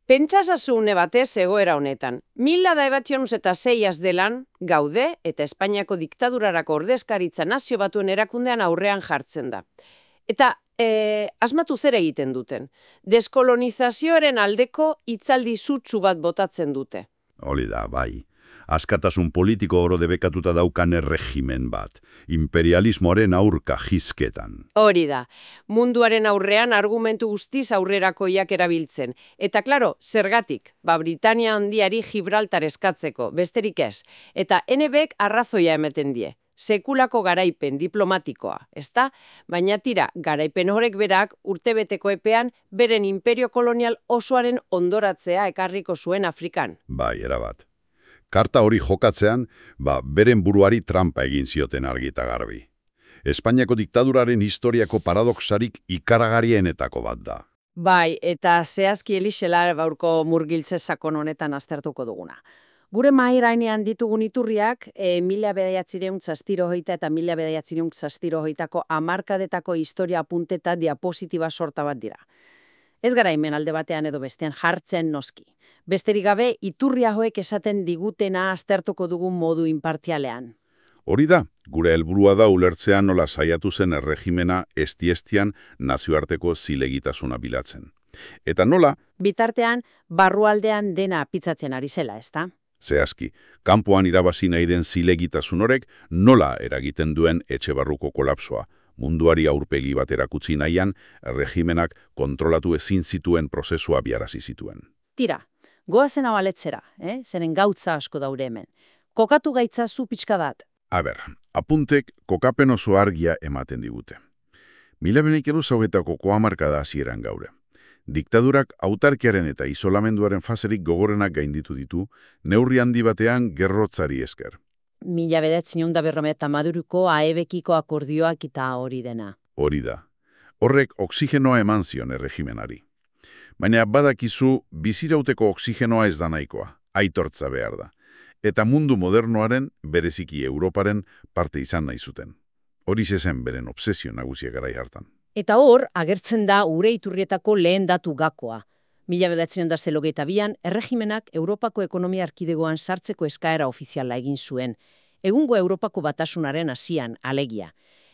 Pentsazazune batez egoera honetan. 1906 delan gaude eta Espainiako diktadurarako ordezkaritza Nazio Batuen erakundean aurrean jartzen da. Eta asmatu zer egiten duten. Deskolonizazioaren aldeko hitzaldi sutsu bat botatzen dute. Hori da, bai. Askatasun politiko oro debekatuta daukan erregimen bat. Imperialismoaren aurka jizketan. Hori da. Munduaren aurrean argumentu guztiz aurrerakoiak erabiltzen. Eta klaro, zergatik? Britania handiari Gibraltar eskatzeko, besterik ez. Eta NBek arrazoia emeten die. Sekulako garaipen diplomatikoa, ezta? Baina tira, garaipen horrek berak urtebeteko epean beren imperio kolonial osoaren ondoratzea ekarriko zuen Afrikan. Bai, erabat. Karta hori jokatzean, beren buruari trampa egin zioten argi eta garbi. Espainiako diktaduraren historiako paradoxarik ikaragarrienetako bat da. Bai, eta zehazki Elixelar baurko murgiltze sakon honetan aztertuko duguna. Gure mahairainean ditugun iturriak, 1960 eta 1960ko hamarkadetako historia apunteta diapositiba sorta bat dira. Ez gara hemen alde batean edo bestean jartzen noski. Besterik gabe, iturri hauek esaten digutena aztertuko dugun modu inpartialean. Hori da, gure helburua da ulertzean nola saiatu zen erregimena estiestian nazioarteko zilegitasuna bilatzen. Eta nola? Bitartean, barrualdean dena pitzatzen ari zela, ezta? Zehazki, kanpoan irabazi nahi den zilegitasun horrek nola eragiten duen etxe barruko kolapsoa. Munduari aurpegi bat erakutsi nahian, erregimenak kontrolatu ezin zituen prozesua biarazi zituen. Tira, goazen abaletzera, zeren gautza asko daure hemen. Kokatu gaitzazu pixka bat. Apuntek kokapen oso argia ematen digute. 1920ko hamarkada hasieran gaure. Diktadurak autarkiaren eta isolamenduaren faserik gogorenak gainditu ditu, neurri handi batean gerrotzari esker. 1950ko AEBekiko akordioak eta hori dena. Hori da. Horrek oksigenoa eman zion erregimenari. Baina badakizu bizirauteko oksigenoa ez da nahikoa, aitortza behar da. Eta mundu modernoaren, bereziki Europaren, parte izan nahi zuten. Hori zen beren obsesio nagusia garai hartan. Eta hor, agertzen da ure iturrietako lehen datu gakoa. 1982an, erregimenak Europako ekonomia erkidegoan sartzeko eskaera ofiziala egin zuen. Egungo Europako batasunaren hasian, alegia.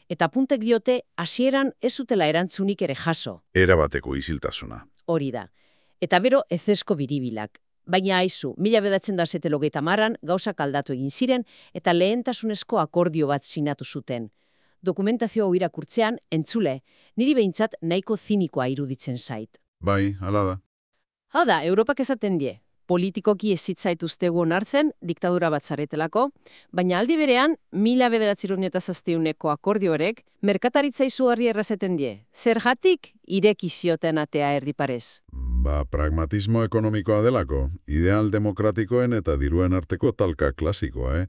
Eta puntek diote, hasieran ez zutela erantzunik ere jaso. Erabateko isiltasuna. Hori da. Eta bero ezezko biribilak. Baina aizu, 1970an gauzak aldatu egin ziren eta lehentasunezko akordio bat sinatu zuten. Dokumentazio hau irakurtzean, entzule, niri behintzat nahiko zinikoa iruditzen zait. Bai, hala da. Hau da, Europak esaten die. Politikoki ez zitzaituztegu onartzen, diktadura bat zaretelako, baina aldi berean, 1907ko akordio horrek, merkataritza izugarri errazeten die. Zergatik ireki zioten atea erdiparez. Pragmatismo ekonomikoa delako, ideal demokratikoen eta diruen arteko talka klasikoa,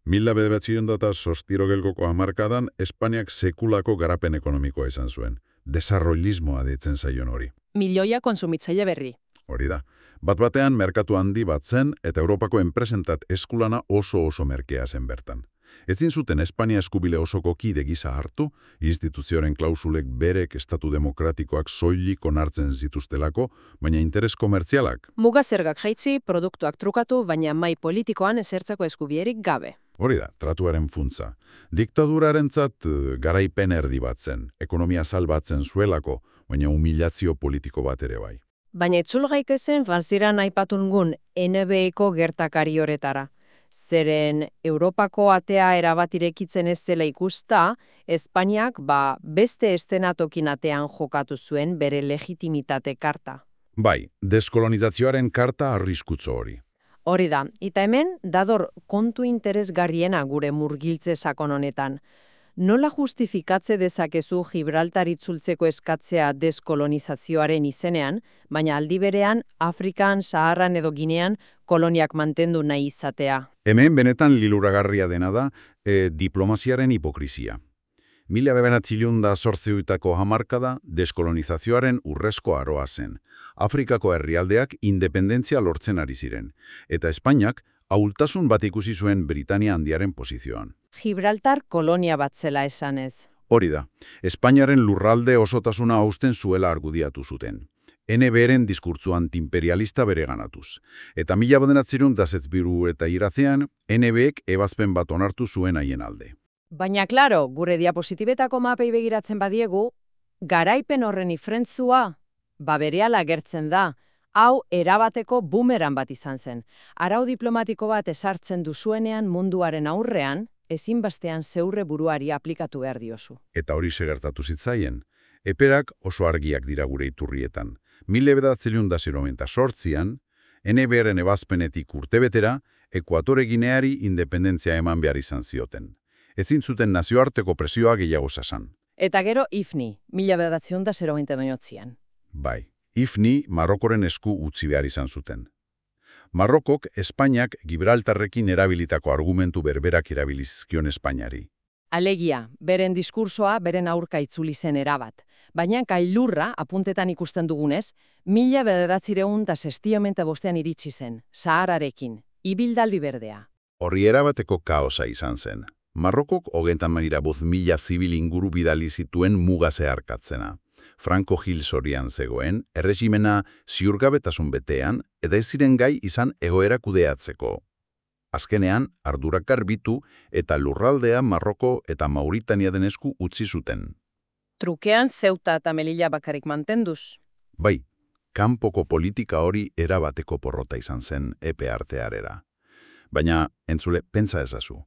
1906ko hamarkadan Espainiak sekulako garapen ekonomikoa izan zuen. Desarrollismoa deitzen zaion hori. Milioia kontsumitzaile berri. Hori da. Bat-batean merkatu handi bat zen eta Europako enpresentat eskulana oso merkea zen bertan. Ezin zuten Espainia eskubile osoko kide gisa hartu, instituzioaren klausulek berek estatu demokratikoak soilik onartzen zituztelako, baina interes komertzialak. Muga zergak jaitzi, produktuak trukatu, baina mai politikoan ezertzako eskubierik gabe. Hori da, tratuaren funtza. Diktadurarentzat garaipen erdi bat zen, ekonomia salbatzen zuelako, baina humilazio politiko bat ere bai. Baina itzulgaik ezen farziran aipatungun NBeko gertakari horretara. Zeren Europako atea erabat irekitzen ez zela ikusta, Espainiak beste estenatokin atean jokatu zuen bere legitimitate karta. Bai, deskolonizazioaren karta arriskutzo hori. Hori da, eta hemen dador kontu interesgarriena gure murgiltze sakon honetan. Nola justifikatze dezakezu Gibraltar itzultzeko eskatzea deskolonizazioaren izenean, baina aldi berean Afrikan, Saharan edo Ginean koloniak mantendu nahi izatea? Hemen benetan liluragarria dena da diplomaziaren hipokrizia. 1908ko hamarkada deskolonizazioaren urrezko aroa zen. Afrikako herrialdeak independentzia lortzen ari ziren, eta Espainiak ahultasun bat ikusi zuen Britania handiaren posizioan. Gibraltar kolonia bat zela esanez. Hori da, Espainiaren lurralde osotasuna hausten zuela argudiatu zuten. NBren diskurtzu antiimperialista bereganatuz. Eta 1972 eta irazean, NBek ebazpen bat onartu zuen haien alde. Baina, klaro, gure diapositibetako mapei begiratzen badiegu, garaipen horren ifrentzua, berehala agertzen da, hau erabateko bumeran bat izan zen. Arau diplomatiko bat ezartzen duzuenean munduaren aurrean, ezinbestean zeurre buruari aplikatu behar diozu. Eta hori segertatu zitzaien. Eperak oso argiak dira gure iturrietan. 1998an, NBren ebazpenetik urtebetera, Ekuatore Gineari independentzia eman behar izan zioten. Ezin zuten nazioarteko presioa gehiago sasan. Eta gero IFNI, 1998an. Bai, IFNI Marrokoren esku utzi behar izan zuten. Marrokok Espainiak Gibraltarrekin erabilitako argumentu berberak erabilizkion Espainiari. Alegia, beren diskursoa beren aurka itzuli zen erabat. Baina gailurra, apuntetan ikusten dugunez, 1965 iritsi zen, Sahararekin, ibildaldi berdea. Horri erabateko kaosa izan zen. Marrokok 30.000 zibil inguru bidali zituen muga zeharkatzena. Franco Gil Sorian zegoen, erregimena ziurgabetasun betean, eta ez ziren gai izan egoera kudeatzeko. Azkenean, ardurak garbitu eta lurraldea Marroko eta Mauritania den esku utzi zuten. Trukean Ceuta eta Melilla bakarik mantenduz. Bai, kanpoko politika hori erabateko porrota izan zen epe artearera. Baina, entzule, pentsa ezazu.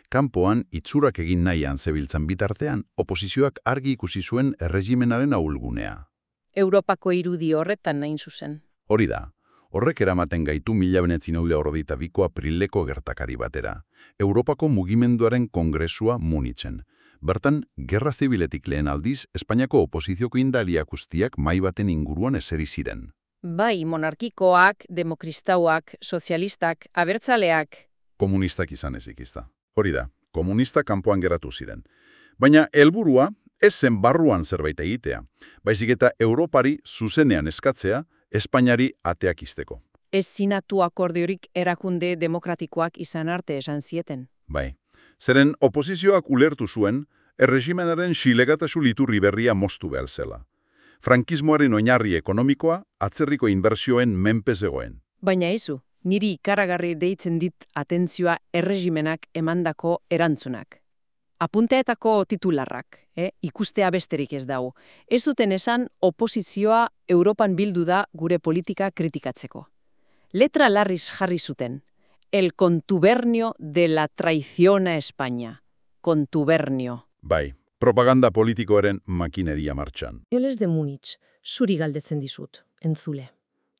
Kanpoan itzurak egin nahian zebiltzan bitartean, oposizioak argi ikusi zuen erregimenaren ahulgunea. Europako irudi horretan nahin zuzen. Hori da, horrek eramaten gaitu 1992ko aprileko gertakari batera. Europako mugimenduaren kongresua Munitzen. Bertan, gerra zibiletik lehen aldiz, Espainiako oposizioko indalia guztiak mahai baten inguruan eseri ziren. Bai, monarkikoak, demokristauak, sozialistak, abertzaleak. Komunistak izan ezikizta. Hori da, komunistak kanpoan geratu ziren. Baina helburua ez zen barruan zerbait egitea, baizik eta Europari zuzenean eskatzea, Espainiari ateak izteko. Ez sinatu akordiorik erakunde demokratikoak izan arte esan zieten. Bai, zeren oposizioak ulertu zuen, erregimenaren xilegatasun iturri berria moztu behar zela. Frankismoaren oinarri ekonomikoa, atzerriko inbertsioen menpe zegoen. Baina izu, niri ikaragarri deitzen dit atentzioa erregimenak emandako erantzunak. Apunteetako titularrak, ikustea besterik ez dago. Ez duten esan oposizioa Europan bildu da gure politika kritikatzeko. Letra larriz jarri zuten. El contubernio de la traición a España. Contubernio. Bai, propaganda politikoaren makineria martxan. Joles de Munich, zuri galdetzen dizut, entzule.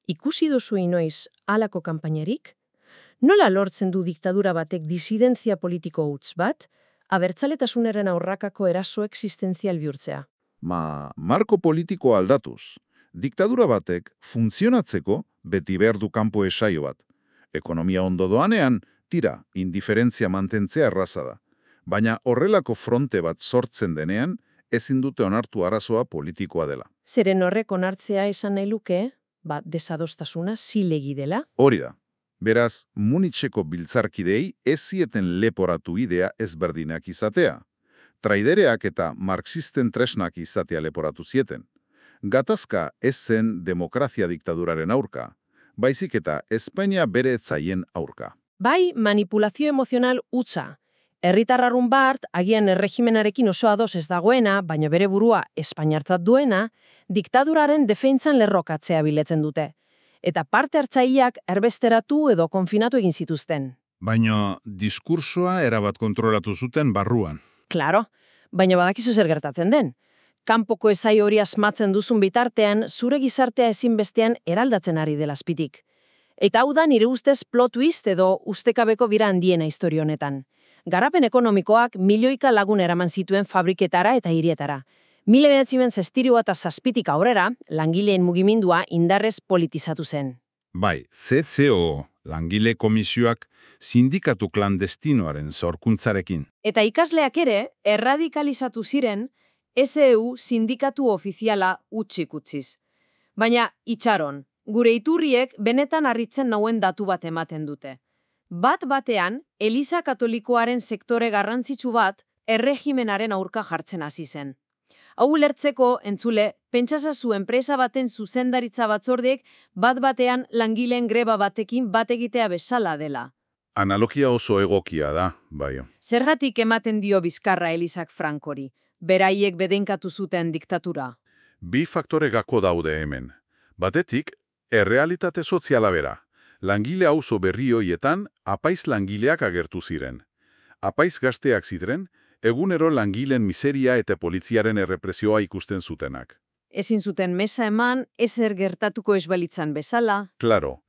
Ikusi duzu inoiz halako kanpainarik? Nola lortzen du diktadura batek disidentzia politiko huts bat, abertzaletasunaren aurrakako eraso existenzial bihurtzea? Marko politiko aldatuz. Diktadura batek funtzionatzeko beti behar du kanpo esaio bat. Ekonomia ondo doanean, tira, indiferentzia mantentzea erraza da. Baina horrelako fronte bat sortzen denean, ezin dute onartu arazoa politikoa dela. Zeren horrek onartzea esan nahi luke, desadostasuna zilegi dela? Hori da. Beraz, Munitzeko biltzarkidei ez zieten leporatu idea ezberdinak izatea. Traidereak eta marxisten tresnak izatea leporatu zieten. Gatazka ez zen demokrazia diktaduraren aurka, baizik eta Espainia bere etzaien aurka. Bai, manipulazio emozional hutsa. Herritarrarun bart, agian erregimenarekin oso ados ez dagoena, baina bere burua espainiartzat duena, diktaduraren defentsan lerrokatzea biletzen dute. Eta parte hartzaileak erbesteratu edo konfinatu egin zituzten. Baina diskursoa erabat kontrolatu zuten barruan. Claro, baina badakizu zer gertatzen den. Kanpoko esai hori asmatzen duzun bitartean, zure gizartea ezinbestean eraldatzen ari dela azpitik. Eta hau da nire ustez plot twist edo ustekabeko bira handiena historia honetan. Garapen ekonomikoak milioika lagun eraman zituen fabriketara eta hirietara. 1967 aurrera, langileen mugimendua indarrez politizatu zen. Bai, CCO, langile komisioak, sindikatu klandestinoaren sorkuntzarekin. Eta ikasleak ere, erradikalizatu ziren, SEU sindikatu ofiziala utzik utziz. Baina, itxaron, gure iturriek benetan harritzen nauen datu bat ematen dute. Bat-batean, Eliza Katolikoaren sektore garrantzitsu bat erregimenaren aurka jartzen hasi zen. Hau ulertzeko, entzule, pentsasazu enpresa baten zuzendaritza batzordek bat-batean langileen greba batekin bat egitea bezala dela. Analogia oso egokia da, bai. Zergatik ematen dio bizkarra Elizak Frankori, beraiek bedenkatu zuten diktatura. Bi faktore gako daude hemen. Batetik, errealitate soziala bera. Langile auzo berri hoietan, apaiz langileak agertu ziren. Apaiz gazteak ziren, egunero langileen miseria eta poliziaren errepresioa ikusten zutenak. Ezin zuten mesa eman, ezer gertatuko ez balitzan bezala. Claro,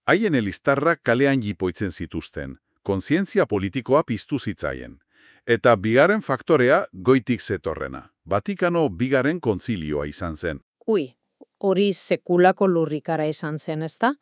haien elistarrak kalean jipoitzen zituzten, kontzientzia politikoa piztu zitzaien. Eta bigarren faktorea goitik zetorrena. Vatikano bigarren kontzilioa izan zen. Ui, hori sekulako lurrikara izan zen, ezta?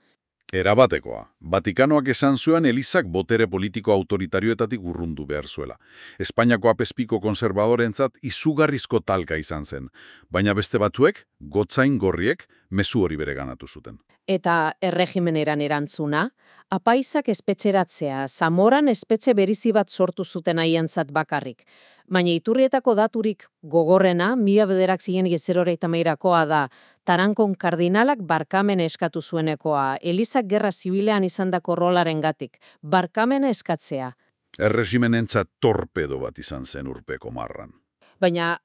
Erabatekoa. Vatikanoak esan zuen Elizak botere politiko autoritarioetatik urrundu behar zuela. Espainiako apezpiko konservadorentzat izugarrizko talka izan zen, baina beste batzuek, gotzain gorriek, mezu hori bereganatu zuten. Eta erregimeneran erantzuna, apaizak espetxeratzea, Zamoran espetxe berizi bat sortu zuten haientzat bakarrik. Baina iturrietako daturik gogorrena, 1983koa da, Tarankon kardinalak barkamen eskatu zuenekoa, Elizak gerra zibilean izandako rolaren gatik, barkamen eskatzea. Erregimenentzat torpedo bat izan zen urpeko marran. Baina,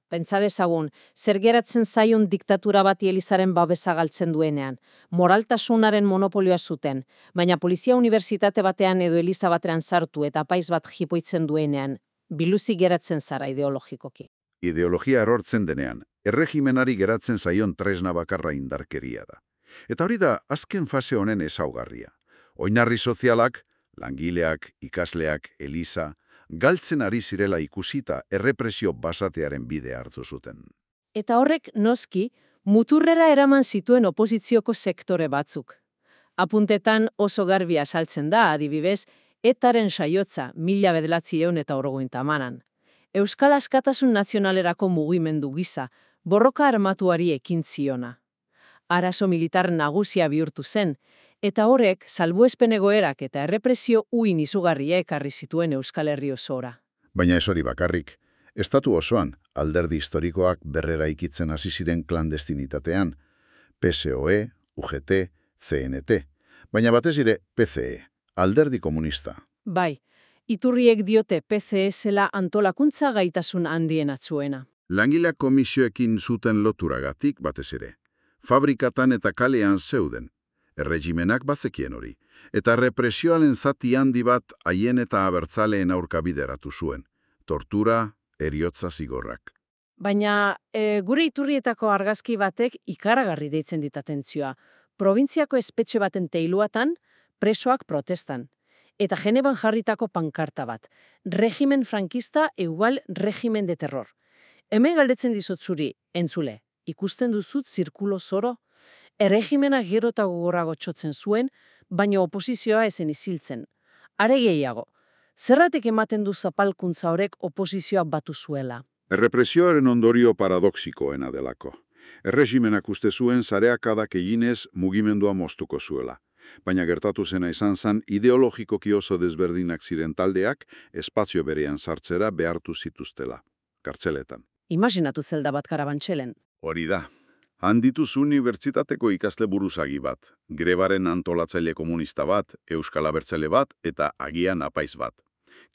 pentsa dezagun, zer geratzen zaion diktatura bati Elizaren babesa galtzen duenean. Moraltasunaren monopolioa zuten, baina polizia unibertsitate batean edo Eliza batean sartu eta apaiz bat jipoitzen duenean, biluzi geratzen zara ideologikoki. Ideologia erortzen denean, erregimenari geratzen zaion tresna bakarra indarkeria da. Eta hori da azken fase honen ezaugarria. Oinarri sozialak, langileak, ikasleak, Eliza, galtzen ari zirela ikusita errepresio basatearen bide hartu zuten. Eta horrek noski, muturrera eraman zituen oposizioko sektore batzuk. Apuntetan oso garbi azaltzen da, adibidez, etaren saiotza 1980 Euskal Askatasun Nazionalerako mugimendu gisa, borroka armatuari ekin ziona. Arazo militar nagusia bihurtu zen, eta horrek salbuespen egoerak eta errepresio uin izugarria ekarri zituen Euskal Herri osora. Baina ez hori bakarrik, estatu osoan alderdi historikoak berreraikitzen hasi ziren klandestinitatean, PSOE, UGT, CNT, baina batez ere PCE, alderdi komunista. Bai, iturriek diote PCE zela antolakuntza gaitasun handien atzuena. Langileak komisioekin zuten loturagatik batez ere. Fabrikatan eta kalean zeuden. Erregimenak bazekien hori, eta represioaren zati handi bat haien eta abertzaleen aurka bideratu zuen. Tortura, heriotza zigorrak. Baina gure iturrietako argazki batek ikaragarri deitzen dit atentzioa. Probintziako espetxe baten teiluatan, presoak protestan. Eta Genevan jarritako pankarta bat. Regimen frankista igual regimen de terror. Hemen galdetzen dizut zuri, entzule, ikusten duzut zirkulo zoro? Erregimena gero eta gogorrago txotzen zuen, baina oposizioa ezen iziltzen. Are gehiago, zerratik ematen du zapalkuntza horrek oposizioa batu zuela? Errepresioaren ondorio paradoxikoena delako. Erregimenak uste zuen zareakadak eginez mugimendua moztuko zuela. Baina gertatu zena izan zen ideologikoki oso desberdinak ziren taldeak espazio berean sartzera behartu zituztela, kartzeletan. Imaginatu zelda bat karabantxelen. Hori da. Handituz unibertsitateko ikasle buruzagi bat, grebaren antolatzaile komunista bat, Euskal Abertzale bat eta agian apaiz bat.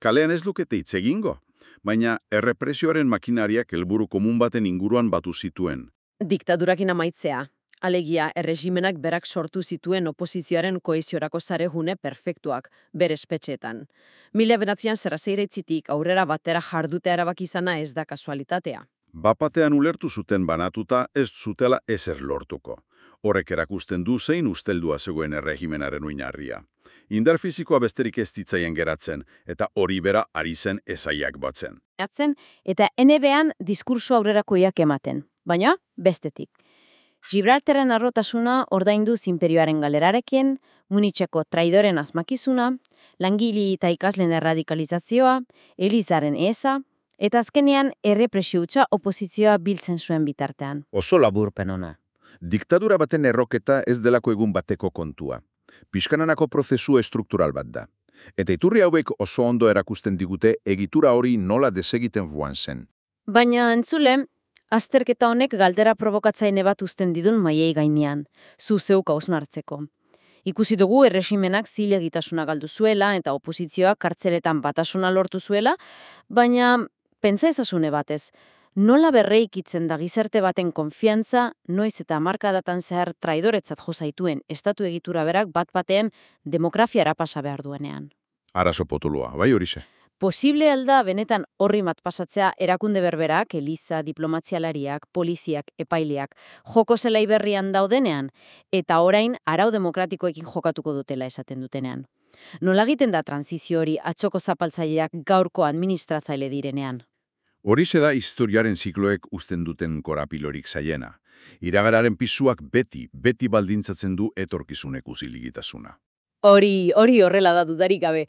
Kalean ez lukete hitz egingo, baina errepresioaren makinariak helburu komun baten inguruan batu zituen. Diktadurakin amaitzea. Alegia, erregimenak berak sortu zituen oposizioaren koheziorako zarehune perfektuak, bere espetxeetan. 1900 zerrazeiraitzitik aurrera batera jardutea erabaki izana ez da kasualitatea. Bapatean ulertu zuten banatuta ez zutela ezer lortuko. Horrek erakusten du zein usteldua zegoen erregimenaren oinarria. Indar fisikoa besterik ez zitzaien geratzen, eta hori bera ari zen ezaiak batzen. Eta NBA-an diskurso aurrerakoiak ematen, baina bestetik. Gibraltaren arrotasuna ordaindu imperioaren galerarekin, Munitzeko traidoren asmakizuna, langile eta ikasleen erradikalizazioa, Elizaren eza, eta azkenean errepresio hutsa oposizioa biltzen zuen bitartean. Oso laburpen ona. Diktadura baten erroketa ez delako egun bateko kontua. Pixkananako prozesu estruktural bat da. Eta iturri hauek oso ondo erakusten digute egitura hori nola desegiten buan zen. Baina entzule, Azterketa honek galdera provokatzaile bat uzten didun maiei gainean, zu zeuk hausnartzeko. Ikusi dugu erregimenak zilegitasuna galdu zuela eta oposizioak kartzeletan batasuna lortu zuela, baina pentsa ezazune batez, nola berreikitzen da gizarte baten konfiantza, noiz eta hamarkadatan zehar traidoretzat jo zaituen estatu egitura berak bat-batean demokraziara pasa behar duenean. Arazo potoloa, bai horixe. Posible alda benetan horri mat pasatzea erakunde berberak, eliza, diplomatzialariak, poliziak, epaileak, joko zelai berrian daudenean, eta orain arau demokratikoekin jokatuko dutela esaten dutenean. Nola egiten da transizio hori atxoko zapaltzaileak gaurko administratzaile direnean? Horixe da historiaren zikloek uzten duten korapilorik zaiena. Iragararen pisuak beti baldintzatzen du etorkizuneko ziligitasuna. Hori horrela da dudarik gabe.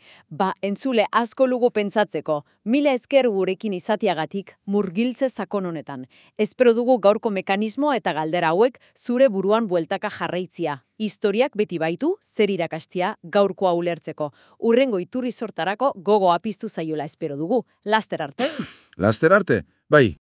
Entzule asko lugu pentsatzeko, mila esker gurekin izatiagatik murgiltze sakon honetan. Espero dugu gaurko mekanismo eta galdera hauek zure buruan bueltaka jarraitzia. Historiak beti baitu, zer irakastia gaurkoa ulertzeko. Urrengo iturri sortarako gogo apiztu zaiola espero dugu. Laster arte. Laster arte, bai.